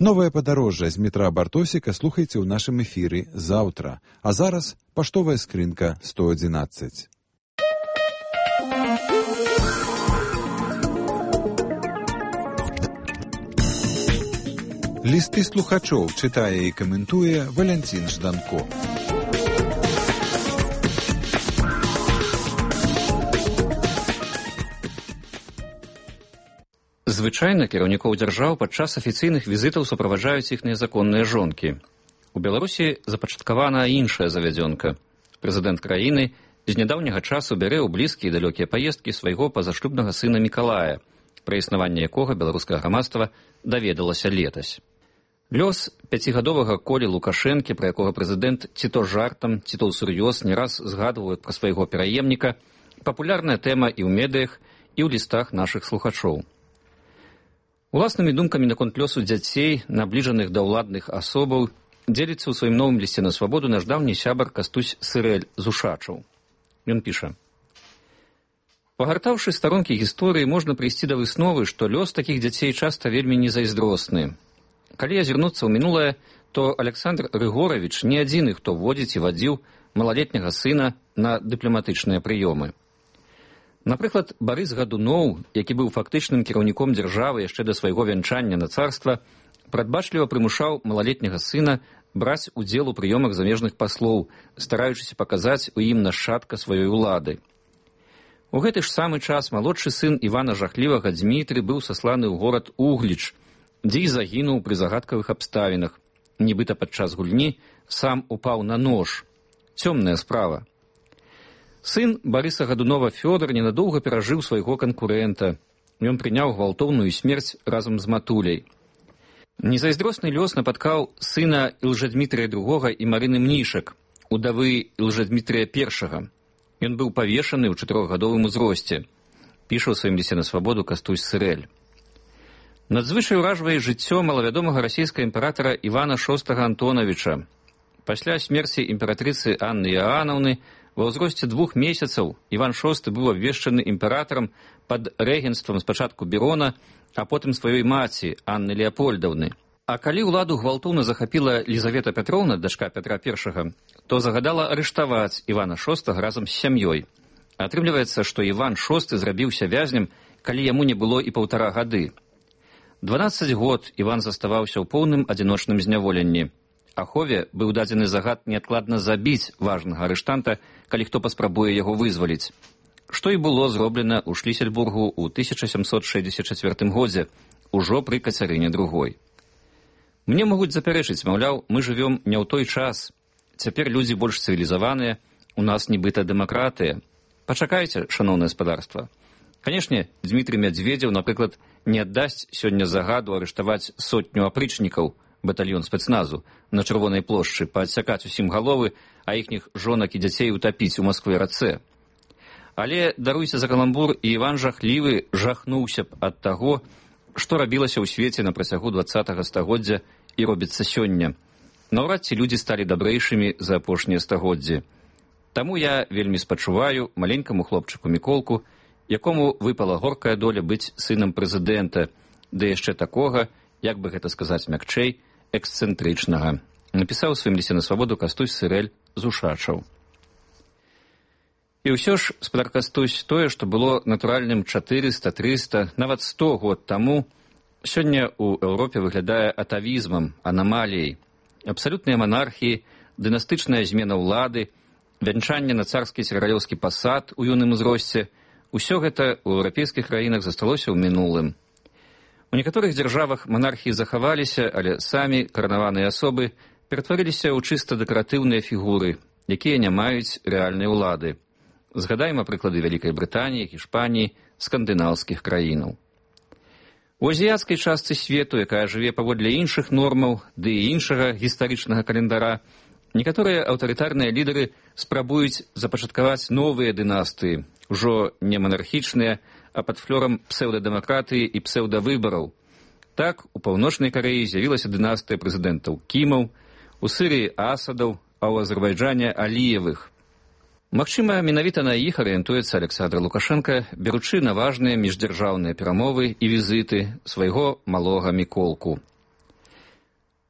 Новае падарожжа з метра Бартосіка слухайце ў нашым эфіры заўтра. А зараз паштовая скрынка 111. Лісты слухачоў чытае і каментуе Валянцін Жданко. Звычайна кіраўнікоў дзяржаў падчас афіцыйных візітаў суправаджаюць іхныя законныя жонкі. У Беларусі запачаткавана іншая завядзёнка. Прэзідэнт краіны з нядаўняга часу бярэ ў блізкія і далёкія паездкі свайго пазашлюбнага сына Мікалая, пра існаванне якога беларускае грамадства даведалася летась. Лёс пяцігадовага Колі Лукашэнкі, пра якога прэзідэнт ці то жартам, ці то ўсур'ёз не раз згадваў пра свайго пераемніка, папулярная тэма і ў медыях, і ў лістах нашых слухачоў. Уласнымі думкамі наконт лёсу дзяцей, набліжаных да ўладных асобаў, дзеліцца ў сваім новым лісце на свабоду наш даўні сябар Кастусь Сырэль з Ушачаў. Ён піша: «Пагартаўшы старонкі гісторыі, можна прыйсці да высновы, што лёс такіх дзяцей часта вельмі незайздросны. Калі азірнуцца ў мінулае, то Александр Рыгоравіч не адзіны, хто водзіць і вадзіў малалетняга сына на дыпламатычныя прыёмы. Напрыклад, Барыс Гадуноў, які быў фактычным кіраўніком дзяржавы яшчэ да свайго вянчання на царства, прадбачліва прымушаў малалетняга сына браць удзел у прыёмах замежных паслоў, стараючыся паказаць у ім нашчадка сваёй улады. У гэты ж самы час малодшы сын Івана Жахлівага Дзмітрый быў сасланы ў горад Угліч, дзе і загінуў пры загадкавых абставінах. Нібыта падчас гульні сам упаў на нож. Цёмная справа. Сын Барыса Гадунова Фёдор ненадоўга перажыў свайго канкурэнта. Ён прыняў гвалтоўную смерць разам з матуляй. Незайздросны лёс напаткаў сына Ілжадмітрыя II і Марыны Мнішак, удавы Ілжадмітрыя I. Ён быў павешаны ў 4гадовым узросце. Піша ў сваім лісце на свабоду Кастусь Сырэль. Надзвычай уражвае жыццё малавядомага расійскага імператара Івана VI Антонавіча. Пасля смерці імператрыцы Анны Іоанаўны ва ўзросце 2 месяцаў Іван VI быў абвешчаны імператарам пад рэгенцтвам спачатку Берона, а потым сваёй маці Анны Леапольдаўны. А калі ўладу гвалтоўна захапіла Лізавета Пятроўна, дачка Пятра I, то загадала арыштаваць Івана VI разам з сям'ёй. Атрымліваецца, што Іван VI зрабіўся вязнем, калі яму не было і 1,5 гады. 12 год Іван заставаўся ў поўным адзіночным зняволенні. Ахове быў дадзены загад неадкладна забіць важнага арыштанта, калі хто паспрабуе яго вызваліць. Што і было зроблена ў Шлісельбургу ў 1764 годзе, ужо пры Кацярыне II. Мне могуць запярэчыць, маўляў, мы жывём не ў той час. Цяпер людзі больш цывілізаваныя, у нас нібыта дэмакратыя. Пачакайце, шаноўнае спадарства. Канешне, Дзмітрый Мядзведзеў, напрыклад, не аддасць сёння загаду арыштаваць 100 апрычнікаў, батальён спецназу, на Чырвонай плошчы, паадсякаць усім галовы, а іхніх жонак і дзяцей утапіць у Маскве-рацэ. Але, даруйся за каламбур, і Іван Жахлівы жахнуўся б ад таго, што рабілася ў свеце на працягу 20-го стагоддзя і робіцца сёння. Наўрад ці людзі сталі дабрэйшымі за апошнія стагоддзі. Таму я вельмі спачуваю маленькаму хлопчыку Міколку, якому выпала горкая доля быць сынам прэзідэнта, ды яшчэ такога, як бы гэта сказаць мякчэй, эксцэнтрычнага. Напісаў у сваім лісце на свабоду Кастусь Сырэль з Ушачаў. І ўсё ж, спадар Кастусь, тое, што было натуральным 400, 300, нават 100 год таму, сёння ў Еўропе выглядае атавізмам, анамаліяй. Абсалютныя манархіі, дынастычная змена ўлады, вянчанне на царскі царалёўскі пасад у юным узросце, усё гэта ў еўрапейскіх краінах засталося ў мінулым. У некаторых дзяржавах манархіі захаваліся, але самі каранаваныя асобы ператварыліся ў чыста дэкаратыўныя фігуры, якія не маюць рэальнай улады. Згадаем прыклады Вялікай Брытаніі, Гішпаніі, скандынаўскіх краінаў. У азіяцкай частцы свету, якая жыве паводле іншых нормаў, ды і іншага гістарычнага календара, некаторыя аўтарытарныя лідары спрабуюць запачаткаваць новыя дынастыі, ужо не монархічныя, а пад флёрам псеўдадэмакратыі і псеўдавыбараў. Так, у Паўночнай Карэі з'явілася дынастыя прэзідэнтаў Кімаў, у Сірыі Асадаў, а ў Азербайджане Аліевых. Магчыма, менавіта на іх арыентуецца Александр Лукашенко, беручы на важныя міждзяржаўныя перамовы і візіты свайго малога Міколку.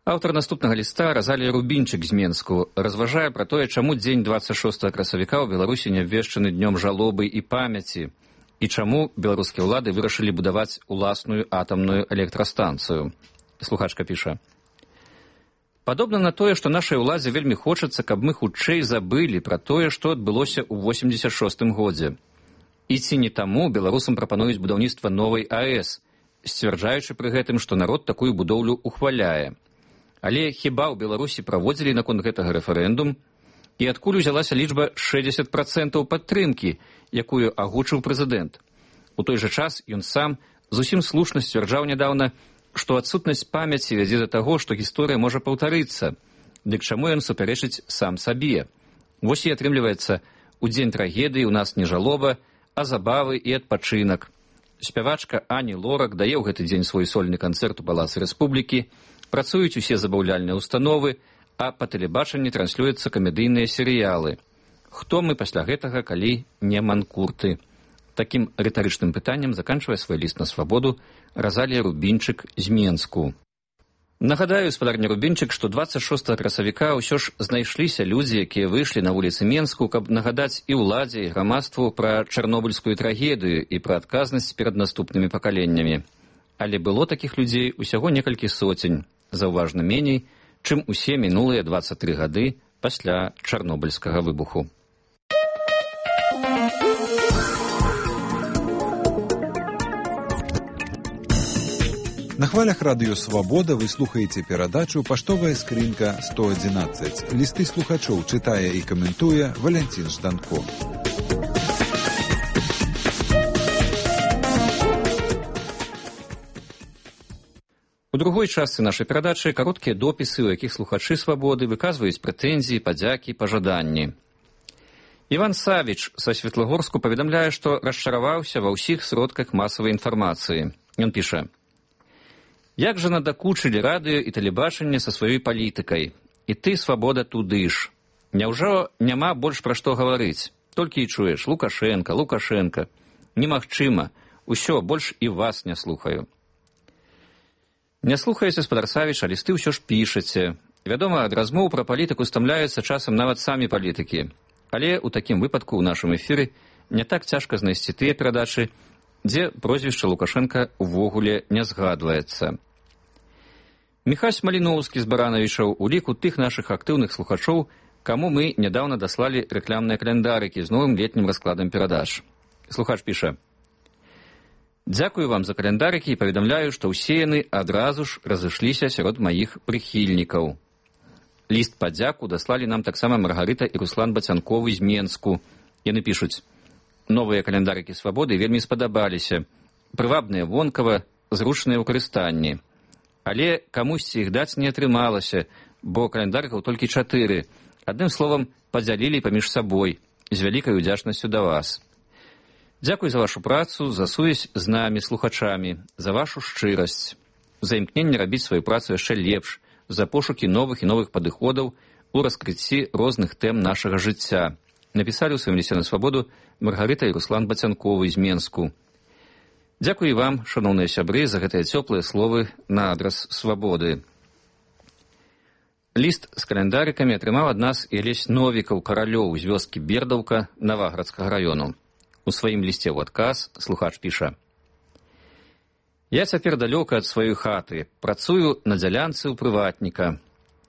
Аўтар наступнага ліста Разалія Рубінчык з Менску разважае пра тое, чаму дзень 26 красавіка ў Беларусі не абвешчаны днём жалобы і памяці, і чаму беларускія ўлады вырашылі будаваць уласную атамную электрастанцыю. Слухачка піша: «Падобна на тое, што нашай уладзе вельмі хочацца, каб мы хутчэй забылі пра тое, што адбылося ў 86 годзе. І ці не таму беларусам прапануюць будаўніцтва новай АЭС, сцвярджаючы пры гэтым, што народ такую будоўлю ухваляе. Але хіба ў Беларусі праводзілі наконт гэтага рэферэндум? І адкуль узялася лічба 60% падтрымкі, якую агучыў прэзідэнт? У той жа час ён сам зусім слушна сцвярджаў нядаўна, што адсутнасць памяці вядзе да таго, што гісторыя можа паўтарыцца. Дык чаму ён супярэчыць сам сабе? Вось і атрымліваецца, у дзень трагедыі ў нас не жалоба, а забавы і адпачынак. Спявачка Ані Лорак дае ў гэты дзень свой сольны канцэрт у Палацы Рэспублікі, працуюць усе забаўляльныя установы, а па тэлебачанні транслююцца камедыйныя серыялы. Хто мы пасля гэтага, калі не манкурты? Такім рытарычным пытаннем заканчвае свой ліст на свабоду Разалія Рубінчык з Менску. Нагадаю, спадарня Рубінчык, што 26 красавіка ўсё ж знайшліся людзі, якія выйшлі на вуліцы Менску, каб нагадаць і ўладзе, і грамадству пра чарнобыльскую трагедыю і пра адказнасць перад наступнымі пакаленнямі. Але было такіх людзей усяго некалькі соцень, заўважна меней, чым усе мінулыя 23 гады пасля чарнобыльскага выбуху. На хвалях радыё «Свабода» вы слухаеце перадачу «Паштовая скрынка 111». Лісты слухачоў чытае і каментуе Валянцін Жданко. У другой частцы нашай перадачы кароткія допісы, у якіх слухачы «Свабоды» выказваюць прэтэнзіі, падзякі, пажаданні. Іван Савіч са Светлагорску паведамляе, што расчараваўся ва ўсіх сродках масавай інфармацыі. Ён піша: «Як жа надакучылі радыё і тэлебачанне са сваёй палітыкай. І ты, Свабода, туды ж. Няўжо няма больш пра што гаварыць? Толькі і чуеш: Лукашенка, Лукашенка. Немагчыма. Усё, больш і вас не слухаю». Не слухаеце, спадар Савіч, а лісты ўсё ж пішаце. Вядома, ад размоў пра палітыку стамляюцца часам нават самі палітыкі. Але ў такім выпадку ў нашым эфіры не так цяжка знайсці тыя перадачы, дзе прозвішча Лукашенка увогуле не згадваецца. Міхась Маліноўскі з Баранавічаў у ліку тых нашых актыўных слухачоў, каму мы нядаўна даслалі рэкламныя календарыкі з новым летнім раскладам перадач. Слухач піша: «Дзякую вам за календарыкі і паведамляю, што ўсе яны адразу ж разышліся сярод маіх прыхільнікаў. Ліст падзяку даслалі нам таксама Маргарыта і Руслан Бацянковы з Менску. Яны пішуць: новыя календарыкі «Свабоды» вельмі спадабаліся. Прывабныя вонкава, зручныя ў карыстанні. Але камусьці іх даць не атрымалася, бо календарыкаў толькі 4. Адным словам, падзялілі паміж сабой. З вялікай удзячнасцю да вас. Дзякуй за вашу працу, за сувязь з намі, слухачамі, за вашу шчырасць, за імкненне рабіць сваю працу яшчэ лепш, за пошукі новых і новых падыходаў у раскрыцці розных тэм нашага жыцця. Напісалі ў сваім лісце на свабоду Маргарыта і Руслан Бацянковы з Менску. Дзякуй вам, шаноўныя сябры, за гэтыя цёплыя словы на адрас свабоды». Ліст з календарыкамі атрымаў ад нас і Алесь Новікаў-Каралёў з вёскі Бердаўка Наваградскага раёну. У сваім лісце ў адказ слухач піша: «Я цяпер далёка ад сваёй хаты, працую на дзялянцы ў прыватніка.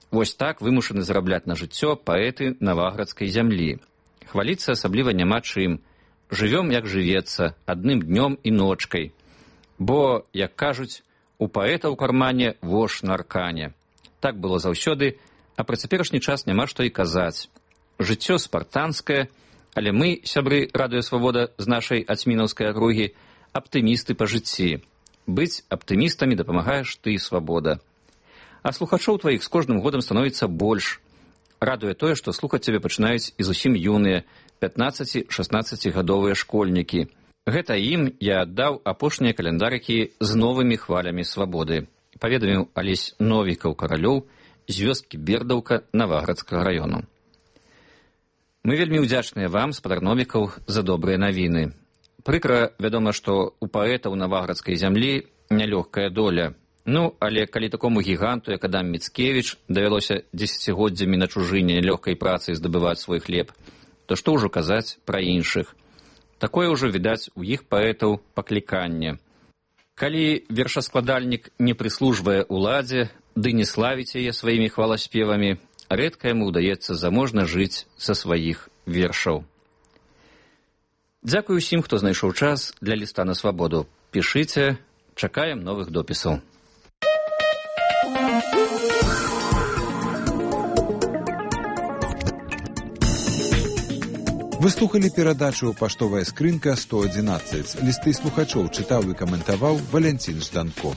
Вось так вымушаны зарабляць на жыццё паэты наваградскай зямлі. Хваліцца асабліва няма чым. Жывём, як жывецца, адным днём і ночкай. Бо, як кажуць, у паэта ў кармане вож на аркане. Так было заўсёды, а пра цяперашні час няма што і казаць. Жыццё спартанскае, але мы, сябры радыё «Свабода» з нашай ацьмінаўскай акругі, аптымісты па жыцці. Быць аптымістамі дапамагаеш ты, Свабода. А слухачоў тваіх з кожным годам становіцца больш. Радуе тое, што слухаць цябе пачынаюць і зусім юныя, 15-16гадовыя школьнікі. Гэта ім я аддаў апошнія календарыкі з новымі хвалямі свабоды», паведаміў Алесь Новікаў-Каралёў з вёскі Бердаўка Наваградскага раёну. Мы вельмі ўдзячныя вам, спадар Новікаў, за добрыя навіны. Прыкра, вядома, што у паэтаў наваградскай зямлі нялёгкая доля. Ну, але калі такому гіганту, як Адам Міцкевіч, давялося дзесяцігоддзямі на чужыне лёгкай працай здабываць свой хлеб, то што ўжо казаць пра іншых? Такое ўжо, відаць, у іх паэтаў пакліканне. Калі вершаскладальнік не прыслужвае ўладзе, ды не славіць яе сваімі хваласпевамі, рэдка яму ўдаецца заможна жыць са сваіх вершаў. Дзякуй усім, хто знайшоў час для ліста на свабоду. Пішыце, чакаем новых допісаў. Вы слухали перадачу «Паштовая скрынка 111». Лісты слухачоў чытаў і каментаваў Валянцін Жданко.